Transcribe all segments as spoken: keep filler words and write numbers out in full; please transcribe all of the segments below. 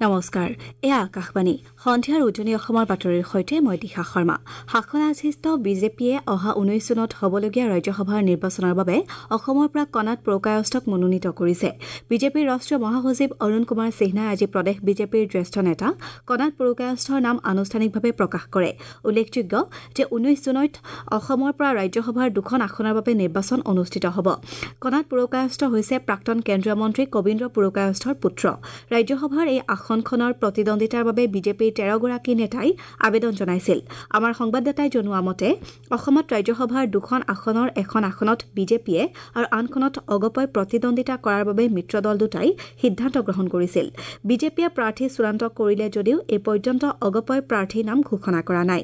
নমস্কাৰ, এয়া আকাশবাণী। সন্ধিয়াৰ উজনি অসমৰ বাতৰিৰ সৈতে মই দিশা শৰ্মা। শাসনাধিষ্ঠ বিজেপিয়ে অহা ঊনৈশ জুনত হ'বলগীয়া ৰাজ্যসভাৰ নিৰ্বাচনৰ বাবে অসমৰ পৰা কণাত পুৰকায়স্থক মনোনীত কৰিছে। বিজেপিৰ ৰাষ্ট্ৰীয় মহাসচিব অৰুণ কুমাৰ সিনহাই আজি প্ৰদেশ বিজেপিৰ জ্যেষ্ঠ নেতা কণাত পুৰকায়স্থৰ নাম আনুষ্ঠানিকভাৱে প্ৰকাশ কৰে। উল্লেখযোগ্য যে ঊনৈশ জুনত অসমৰ পৰা ৰাজ্যসভাৰ দুখন আসনৰ বাবে নিৰ্বাচন অনুষ্ঠিত হ'ব। কণাত পুৰকায়স্থ হৈছে প্ৰাক্তন কেন্দ্ৰীয় মন্ত্ৰী কবীন্দ্ৰ পুৰকায়স্থৰ পুত্ৰ। ৰাজ্যসভাৰ এই আসনখনৰ প্ৰতিদ্বন্দ্বিতাৰ বাবে বিজেপিৰ তেৰগৰাকী নেতাই আবেদন জনাইছিল। আমাৰ সংবাদদাতাই জনোৱা মতে অসমত ৰাজ্যসভাৰ দুখন আসনৰ এখন আসনত বিজেপিয়ে আৰু আনখনত অগপই প্ৰতিদ্বন্দ্বিতা কৰাৰ বাবে মিত্ৰ দল দুটাই সিদ্ধান্ত গ্ৰহণ কৰিছিল। বিজেপিয়ে প্ৰাৰ্থী চূড়ান্ত কৰিলে যদিও এই পৰ্যন্ত অগপই প্ৰাৰ্থীৰ নাম ঘোষণা কৰা নাই।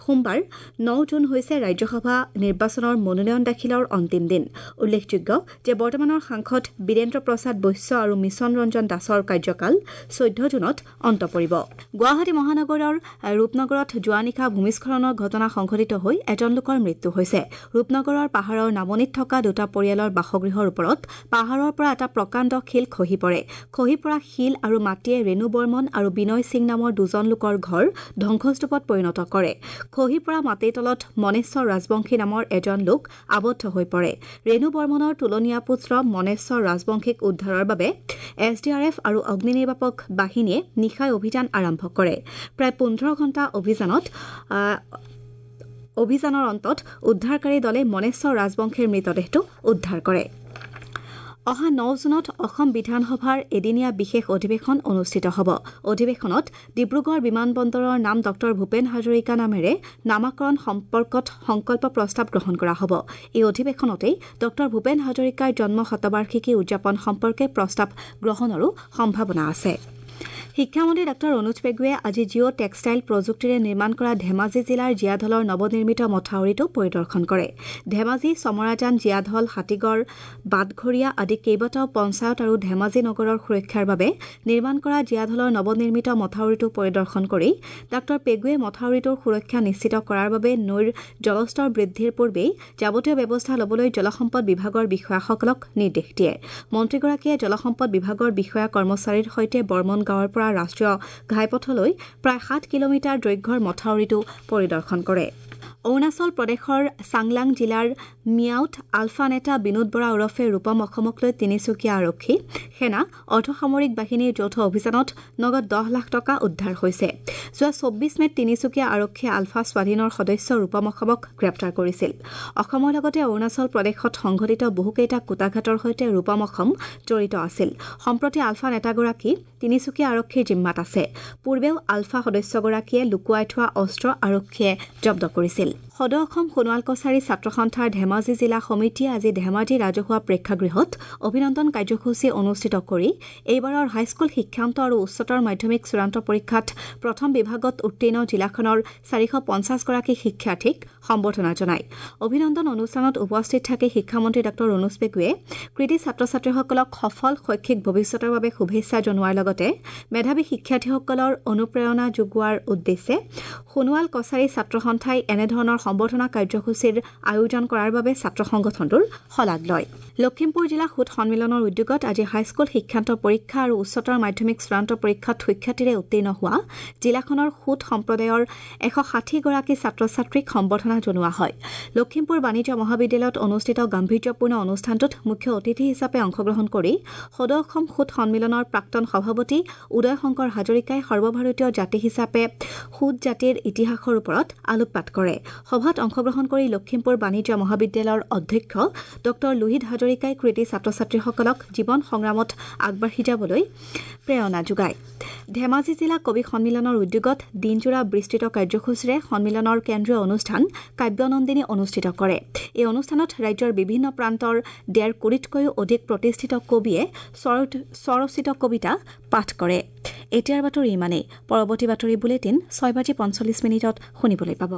সোমবাৰ ন জুন হৈছে ৰাজ্যসভা নিৰ্বাচনৰ মনোনয়ন দাখিলৰ অন্তিম দিন। উল্লেখযোগ্য যে বৰ্তমানৰ সাংসদ বীৰেন্দ্ৰ প্ৰসাদ বৈশ্য আৰু মিছন ৰঞ্জন দাসৰ কাৰ্যকাল চৈধ্য জুনত অন্ত পৰিব। গুৱাহাটী মহানগৰৰ ৰূপনগৰত যোৱা নিশা ভূমিস্খলনৰ ঘটনা সংঘটিত হৈ এজন লোকৰ মৃত্যু হৈছে। ৰূপনগৰৰ পাহাৰৰ নামনিত থকা দুটা পৰিয়ালৰ বাসগৃহৰ ওপৰত পাহাৰৰ পৰা এটা প্ৰকাণ্ড শিল খহি পৰে। খহি পৰা শিল আৰু মাটিয়ে ৰেণু বৰ্মন আৰু বিনয় সিং নামৰ দুজন লোকৰ ঘৰ ধ্বংসস্তূপত পৰিণত কৰে। খহি পৰা মাটিৰ তলত মনেশ্বৰ ৰাজবংশী নামৰ এজন লোক আবদ্ধ হৈ পৰে। ৰেণু বৰ্মনৰ তুলনীয়া পুত্ৰ মনেশ্বৰ ৰাজবংশীক উদ্ধাৰৰ বাবে এছ ডি আৰ এফ আৰু অগ্নি নিৰ্বাপক বাহিনীয়ে নিশাই অভিযান আৰম্ভ কৰে। প্ৰায় পোন্ধৰ ঘণ্টা অভিযানত অভিযানৰ অন্তত উদ্ধাৰকাৰী দলে মনেশ্বৰ ৰাজবংশীৰ মৃতদেহটো উদ্ধাৰ কৰে। অহা ন জুনত অসম বিধানসভাৰ এদিনীয়া বিশেষ অধিৱেশন অনুষ্ঠিত হ'ব। অধিৱেশনত ডিব্ৰুগড় বিমানবন্দৰৰ নাম ডক্টৰ ভূপেন হাজৰিকা নামেৰে নামাকৰণ সম্পৰ্কত সংকল্প প্ৰস্তাৱ গ্ৰহণ কৰা হ'ব। এই অধিৱেশনতেই ডক্টৰ ভূপেন হাজৰিকাৰ জন্ম শতবাৰ্ষিকী উদযাপন সম্পৰ্কে প্ৰস্তাৱ গ্ৰহণৰো সম্ভাৱনা আছে। শিক্ষামন্ত্ৰী ডাঃ অনুজ পেগুৱে আজি জিঅ' টেক্সটাইল প্ৰযুক্তিৰে নিৰ্মাণ কৰা ধেমাজি জিলাৰ জীয়াঢলৰ নৱনিৰ্মিত মথাউৰিটো পৰিদৰ্শন কৰে। ধেমাজি, চমৰাজান, জীয়াঢল, হাতীগড়, বাটঘৰীয়া আদি কেইবাটাও পঞ্চায়ত আৰু ধেমাজি নগৰৰ সুৰক্ষাৰ বাবে নিৰ্মাণ কৰা জীয়াঢলৰ নৱনিৰ্মিত মথাউৰিটো পৰিদৰ্শন কৰি ডাঃ পেগুৱে মথাউৰিটোৰ সুৰক্ষা নিশ্চিত কৰাৰ বাবে নৈৰ জলস্তৰ বৃদ্ধিৰ পূৰ্বেই যাৱতীয় ব্যৱস্থা ল'বলৈ জলসম্পদ বিভাগৰ বিষয়াসকলক নিৰ্দেশ দিয়ে। মন্ত্ৰীগৰাকীয়ে জলসম্পদ বিভাগৰ বিষয়া কৰ্মচাৰীৰ সৈতে বৰ্মন গাঁৱৰ পৰা ৰাষ্ট্ৰীয় ঘাইপথলৈ প্ৰায় সাত কিলোমিটাৰ দৈৰ্ঘ্যৰ মথাউৰিটো পৰিদৰ্শন কৰে। অৰুণাচল প্ৰদেশৰ চাংলাং জিলাৰ মিয়াউত আলফা নেতা বিনোদ বৰা ওৰফে ৰূপম অসমক লৈ তিনিচুকীয়া আৰক্ষী, সেনা, অৰ্ধসামৰিক বাহিনীৰ যৌথ অভিযানত নগদ দহ লাখ টকা উদ্ধাৰ হৈছে। যোৱা চৌব্বিছ মেত তিনিচুকীয়া আৰক্ষীয়ে আলফা স্বাধীনৰ সদস্য ৰূপম অসমক গ্ৰেপ্তাৰ কৰিছিল। অসমৰ লগতে অৰুণাচল প্ৰদেশত সংঘটিত বহুকেইটা কূটাঘাতৰ সৈতে ৰূপম অসম জড়িত আছিল। সম্প্ৰতি আলফা নেতাগৰাকী তিনিচুকীয়া আৰক্ষীৰ জিম্মাত আছে। পূৰ্বেও আলফা সদস্যগৰাকীয়ে লুকুৱাই থোৱা অস্ত্ৰ আৰক্ষীয়ে জব্দ কৰিছিল। সদৌ অসম সোণোৱাল কছাৰী ছাত্ৰ সন্থাৰ ধেমাজি জিলা সমিতিয়ে আজি ধেমাজি ৰাজহুৱা প্ৰেক্ষাগৃহত অভিনন্দন কাৰ্যসূচী অনুষ্ঠিত কৰি এইবাৰৰ হাইস্কুল শিক্ষান্ত আৰু উচ্চতৰ মাধ্যমিক চূড়ান্ত পৰীক্ষাত প্ৰথম বিভাগত উত্তীৰ্ণ জিলাখনৰ চাৰিশ পঞ্চাছগৰাকী শিক্ষাৰ্থীক সম্বৰ্ধনা জনায়। অভিনন্দন অনুষ্ঠানত উপস্থিত থাকি শিক্ষামন্ত্ৰী ডাঃ অনুজ পেগুৱে কৃতী ছাত্ৰ ছাত্ৰীসকলক সফল শৈক্ষিক ভৱিষ্যতৰ বাবে শুভেচ্ছা জনোৱাৰ লগতে মেধাৱী শিক্ষাৰ্থীসকলৰ অনুপ্ৰেৰণা যোগোৱাৰ উদ্দেশ্যে সোণোৱাল কছাৰী ছাত্ৰ সন্থাই এনেধৰণৰ সম্বৰ্ধনা কাৰ্যসূচীৰ আয়োজন কৰাৰ বাবে ছাত্ৰ সংগঠনটোৰ শলাগ লয়। লখিমপুৰ জিলা সুত সন্মিলনৰ উদ্যোগত আজি হাইস্কুল শিক্ষান্ত পৰীক্ষা আৰু উচ্চতৰ মাধ্যমিক চূড়ান্ত পৰীক্ষাত সুখ্যাতিৰে উত্তীৰ্ণ হোৱা জিলাখনৰ সুত সম্প্ৰদায়ৰ এশ ষাঠিগৰাকী ছাত্ৰ ছাত্ৰীক সম্বৰ্ধনা জনোৱা হয়। লখিমপুৰ বাণিজ্য মহাবিদ্যালয়ত অনুষ্ঠিত গাম্ভীৰ্যপূৰ্ণ অনুষ্ঠানটোত মুখ্য অতিথি হিচাপে অংশগ্ৰহণ কৰি সদৌ অসম সুত সন্মিলনৰ প্ৰাক্তন সভাপতি উদয় শংকৰ হাজৰিকাই সৰ্বভাৰতীয় জাতি হিচাপে সুত জাতিৰ ইতিহাসৰ ওপৰত আলোকপাত কৰে। সভাত অংশগ্ৰহণ কৰি লখিমপুৰ বাণিজ্য মহাবিদ্যালয়ৰ অধ্যক্ষ ডঃ লোহিত হাজৰিকাই কৃতী ছাত্ৰ ছাত্ৰীসকলক জীৱন সংগ্ৰামত আগবাঢ়ি যাবলৈ প্ৰেৰণা যোগায়। ধেমাজি জিলা কবি সন্মিলনৰ উদ্যোগত দিনজোৰা বিস্তৃত কাৰ্যসূচীৰে সন্মিলনৰ কেন্দ্ৰীয় অনুষ্ঠান কাব্যনন্দিনী অনুষ্ঠিত কৰে। এই অনুষ্ঠানত ৰাজ্যৰ বিভিন্ন প্ৰান্তৰ ডেৰ কোটিতকৈও অধিক প্ৰতিষ্ঠিত কবিয়ে স্বৰচিত কবিতা পাঠ কৰে। এতিয়াৰ বাতৰি ইমানেই। পৰৱৰ্তী বাতৰি বুলেটিন ছয় বাজি পঞ্চল্লিছ মিনিটত শুনিবলৈ পাব।